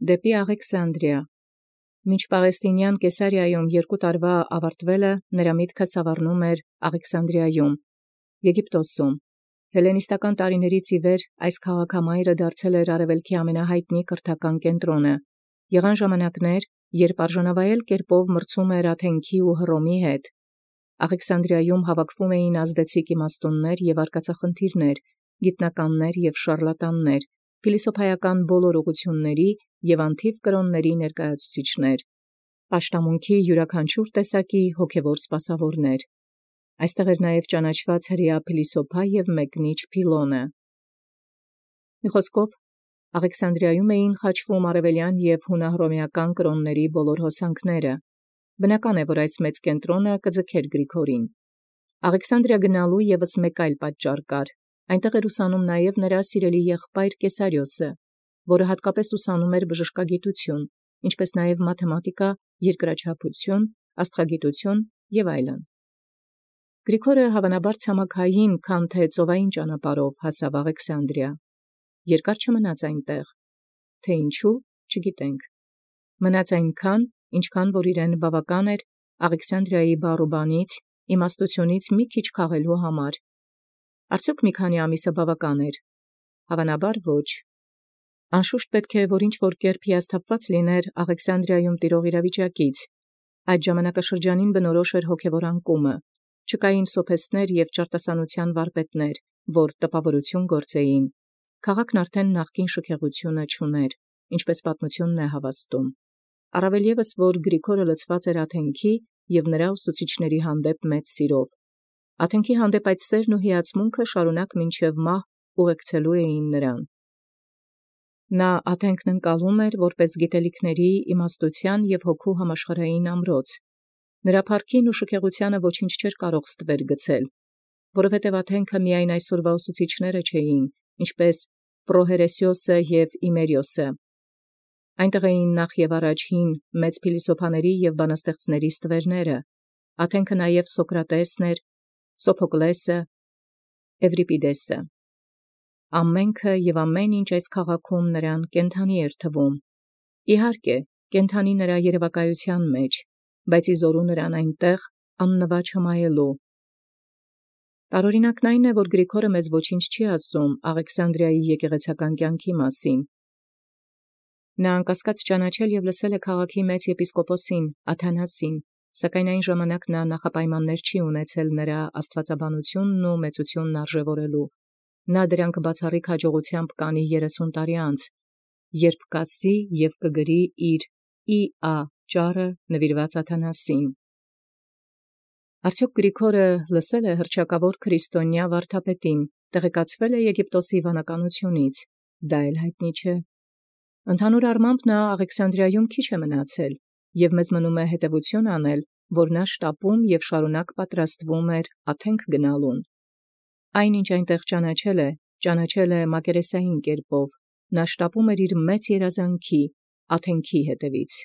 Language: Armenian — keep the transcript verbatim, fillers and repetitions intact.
դեպի Աղեքսանդրիա։ Մինչ Պաղեստինեան Կեսարիայում երկու տարուա աւարտեալ, նորա միտքը սաւառնում էր Աղեքսանդրիայում, Եգիպտոս. հելլենիստական տարիաց ի վեր այս քաղաքամայրը դարձել էր արևելքի ամենահայտնի կրթական կենտրոնը։ Եղան ժամանակներ, երբ արժանավայել կերպով մրցում էր Աթենքի ու Հռոմի հետ։ Աղեքսանդրիայում հավաքվում էին ազդեցիկ իմաստուններ եւ արկածախնդիրներ, գիտնականներ եւ շարլատաններ, փիլիսոփայական բոլոր ուղղութիւնների եւ անթիվ կրոնների ներկայացուցիչներ, պաշտամունքի յուրաքանչյուր տեսակի հոգևոր սպասաւորներ։ Այստեղ էր նաև ճանաչված հրեա փիլիսոփա եւ մեկնիչ Փիլոնը։ Մի խոսքով, Աղեքսանդրիայում էին խաչվում արևելյան եւ հունահռոմեական կրոնների բոլոր հոսանքները։ Բնական է, որ այս մեծ կենտրոնը կձգեր Գրիգորին։ Աղեքսանդրիա գնալու եւս մեկ այլ պատճառ կար։ Այնտեղ էր ուսանում նաև նրա սիրելի եղբայր Կեսարիոսը, որը հատկապես ուսանում էր բժշկագիտություն, ինչպես նաև մաթեմատիկա, երկրաչափություն, աստղագիտություն եւ այլն։ Գրիգորը հավանաբար ցամաքային, քան թե ծովային ճանապարհով հասավ Աղեքսանդրիա։ Երկար չմնաց այնտեղ, թե ինչու չգիտենք։ Մնաց այնքան, ինչքան որ իրեն բավական էր Աղեքսանդրիայի բարուբանից, իմաստությունից մի քիչ քաղելու համար։ Արդյոք մի քանի ամիսը բավական էր։ Հավանաբար ոչ։ Անշուշտ պետք է որ ինչ որ կերպ հիասթափված լիներ Աղեքսանդրիայում տիրող իրավիճակից։ Այդ ժամանակաշրջանին բնորոշ էր հոգևոր անկումը։ Չկային սոփեստներ եւ ճարտասանության վարպետներ, որ տպավորություն գործեին։ Քաղաքն արդեն նախկին շքեղությունը չուներ, ինչպես պատմությունն է հավաստում։ Առավել ևս, որ Գրիգորը լցված էր Աթենքի եւ նրա ուսուցիչների հանդեպ մեծ սիրով։ Աթենքի հանդեպ այդ սերն ու հիացմունքը շարունակ մինչև մահ ուղեկցելու էին նրան։ Նա Աթենքն ընկալում էր որպես գիտելիքների, իմաստութեան եւ հոգու համաշխարհային ամրոց։ Նրա փառքին ու շքեղութեանը ոչինչ չէր կարող ստվեր գցել, որովհետև Աթենքը միայն այսօրվա ուսուցիչները չէին, ինչպես Պրոհերեսիոսը եւ Իմերիոսը։ Այնտեղ էին նախ եւ առաջ հին մեծ փիլիսոփաների եւ բանաստեղծների ստվերները, Աթենքը նաև Սոկրատեսն էր, Սոփոկլեսը, Էվրիպիդեսը։ Ամենքը եւ ամեն ինչ այս քաղաքում նրան կենթանի էր թվում։ Իհարկե, կենթանի նրա երևակայության մեջ, բայց իզորու նրան այնտեղ աննվաճ հմայելու։ Տարօրինակն այն է, որ Գրիգորը մեզ ոչինչ չի ասում Աղեքսանդրիայի եկեղեցական կյանքի մասին։ Նա անկասկած ճանաչել եւ լսել է քաղաքի մեծ եպիսկոպոսին Աթանասին, սակայն այն ժամանակ նա նախապայմաններ չի ունեցել նրա աստվածաբանությունն ու մեծությունն արժևորելու։ Նա դրանք բացառիկ հաջողությամբ կանի երեսուն տարի անց, երբ կասի եւ կգրի իր «Ի Ա» ճառը նվիրված Աթանասին։ Արդյոք Գրիգորը լսել է հռչակավոր քրիստոնյա վարդապետին, տեղեկացվել է Եգիպտոսի վանականությունից, դա էլ հայտնի չէ։ Ընդհանուր առմամբ նա Աղեքսանդրիայում քիչ է մնացել, եւ մեզ մնում է հետևություն անել, որ նա շտապում եւ շարունակ պատրաստվում էր Աթենք գնալուն։ Այնինչ այնտեղ ճանաչել է, ճանաչել է մակերեսային կերպով, նա շտապում էր իր մեծ երազանքի Աթենքի հետևից։